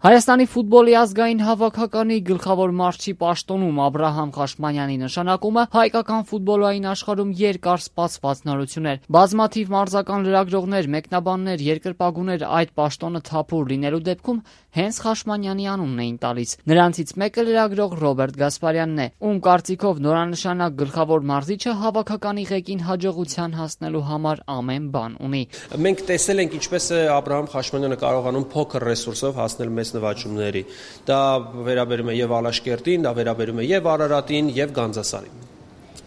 Հայաստանի ֆուտբոլի ազգային հավաքականի գլխավոր մարզչի պաշտոնում Աբրահամ Խաշմանյանի նշանակումը հայկական ֆուտբոլային աշխարհում երկար սպասված նորություն էր։ Բազմաթիվ մարզական լրագրողներ, մեկնաբաններ, երկրպագուներ այդ պաշտոնը թափուր լինելու դեպքում հենց Խաշմանյանի անունն էին տալիս։ Նրանցից մեկը լրագրող Ռոբերտ Գասպարյանն է, ում կարծիքով նորանշանակ գլխավոր մարզիչը հավաքականի ղեկին հաջողության հասնելու համար ամեն բան ունի։ Մենք տեսել ենք ինչպես է Աբրահամ Խաշմանյանը կարողանում փոքր ռեսուրսով հասնել մեծ նվաճումների։ Դա վերաբերում է եւ Ալաշկերտին, դա վերաբերում է եւ Արարատին, եւ Գանձասարին։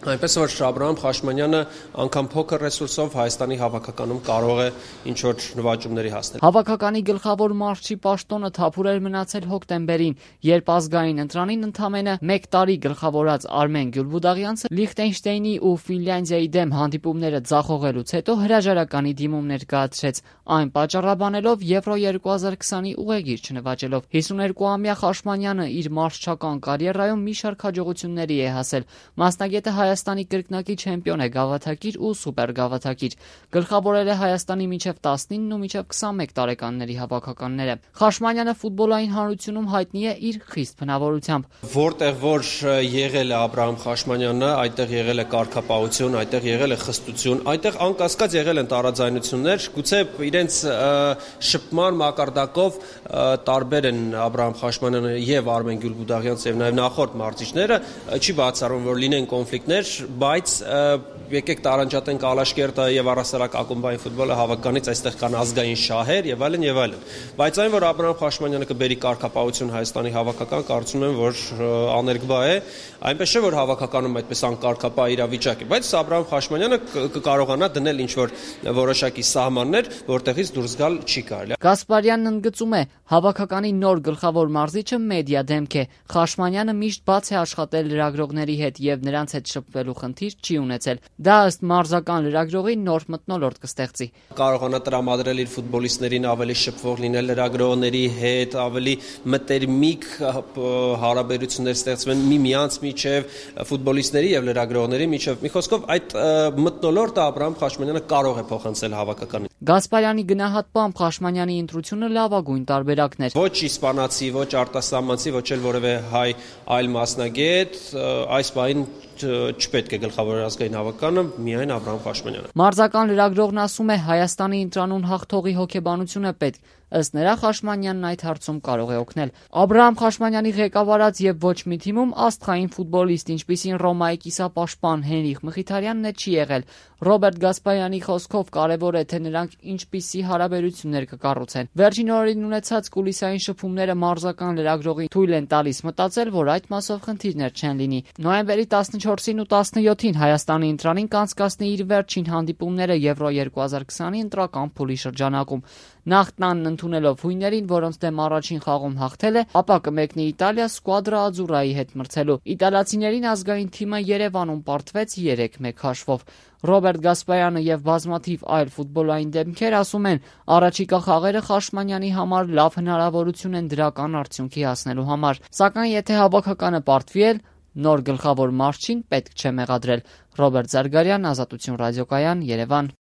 Այնպես որ Աբրահամ Խաշմանյանը անգամ փոքր ռեսուրսով Հայաստանի հավաքականում կարող է ինչ-որ նվաճումների հասնել։ Հավաքականի գլխավոր մարզչի պաշտոնը թափուր էր մնացել հոկտեմբերին, երբ ազգային ընտրանին ընդամենը 1 տարի գլխավորած Արմեն Գյուլբուդաղյանցը Լիխտենշտեյնի ու Ֆինլանդիայի դեմ հանդիպումները ձախողելուց հետո հրաժարականի դիմում ներկայացրեց, այն պատճառաբանելով Եվրո 2020-ի ուղեգիր չնվաճելով։ 52-ամյա Խաշմանյանը իր մարզչական կարիերայում մի շարք հաջողությունների է հասել։ Մասնագետը Հայաստանի կրկնակի չեմպիոն է գավաթակիր ու սուպերգավաթակիր։ Գլխավորել է Հայաստանի մինչև 19 ու մինչև 21 տարեկանների հավաքականները։ Խաշմանյանը ֆուտբոլային հանրությունում հայտնի է իր խիստ բնավորությամբ։ Որտեղ որ եղել է Աբրահամ Խաշմանյանը, այդտեղ եղել է կարգապահություն, այդտեղ եղել է խստություն, այդտեղ անկասկած եղել են տարաձայնություններ, գուցե իրենց շփման մակարդակով տարբեր են Աբրահամ Խաշմանյանը եւ Արմեն Գյուլբուդաղյանցը եւ նաեւ նախորդ մարզիչները, չի բացառվում, որ լինեն կոնֆլիկտներ, բայց եկեք տարանջատենք Ալաշկերտը եւ առհասարակ ակումբային ֆուտբոլը հավաքականից, այստեղ կան ազգային շահեր եւ այլն եւ այլն։ Բայց այն, որ Աբրահամ Խաշմանյանը կբերի կարգապահություն Հայաստանի հավաքական, կարծում եմ, որ աներկբա է, այնպես չէ, որ հավաքականում այդպես անկարգապահ իրավիճակ է, բայց Աբրահամ Խաշմանյանը կկարողանա դնել ինչ-որ որոշակի սահմաններ, որտեղից դուրս գալ չի կարելի։ Գասպարյանն ընդգծում է, հավաքականի նոր գլխավոր մարզիչը մեդիա դեմք է։ Խաշմանյանը միշտ բաց է աշխատել լրագրողների հետ եւ նրանց հետ շփվելու խնդիր չի ունեցել։ Դա ըստ մարզական լրագրողի նոր մթնոլորտ կստեղծի։ Կարողանա տրամադրել իր ֆուտբոլիստներին ավելի շփվող լինել լրագրողների հետ, ավելի մտերմիկ հարաբերություններ ստեղծվեն միմյանց միջև, ֆուտբոլիստների եւ լրագրողների միջև։ Մի խոսքով այդ մթնոլորտը Աբրահամ Խաշմանյանը կարող է փոխանցել հավաքականին։ Գասպարյանի գնահատմամբ Խաշմանյանի ընտրությունը լավագույն տարբերակն էր։ Ոչ իսպանացի, ոչ արտասահմանցի, ոչ էլ որևէ հայ այլ մասնագետ, այս բային չպետք է գլխավոր ազգային հավաքականը, միայն Աբրահամ Խաշմանյանը։ Մարզական լրագրողն ասում է, Հայաստանի ընտրանուն հաղթողի հոգեբանությունը պետք։ Ըստ նրա Խաշմանյանն այդ հարցում կարող է օգնել։ Աբրահամ Խաշմանյանի ղեկավարած եւ ոչ մի թիմում աստղային ֆուտբոլիստ, ինչպիսին Ռոմայի կիսապաշտպան Հենրիխ Մխիթարյանն է, չի եղել։ Ռոբերտ Գասպարյանի խոսքով կարևոր է, թե նրանք ինչպիսի հարաբերություններ կկառուցեն։ Վերջին օրերին ունեցած կուլիսային շփումները մարզական լրագրողին թույլ են տալիս մտածել, որ այդ մասով խնդիրներ չեն լինի։ Նոյեմբերի 14-ին ու 17-ին Հայաստանի ընտրանին կանցկացնի իր վերջին հանդիպումները Եվրո 2020-ի ընտրական փուլի շրջանակում։ Նախ տանն ընդունելով հույներին, որոնց դեմ առաջին խաղում հաղթել է, ապա կմեկնի Իտալիա Սկուադրա Աձուրայի հետ մրցելու։ Իտալացիներին ազգային թիմը Երևանում պարտվեց 3-1 հաշվով։ Ռոբերտ Գասպարյանը եւ բազմաթիվ այլ ֆուտբոլային դեմքեր ասում են, առաջիկա խաղերը Խաշմանյանի համար լավ հնարավորություն են դրական արդյունքի հասնելու համար։ Սակայն եթե հավաքականը պարտվի էլ, նոր գլխավոր մարզչին պետք չէ մեղադրել։ Ռոբերտ Զարգարյան, Ազատություն ռադիոկայան, Երևան։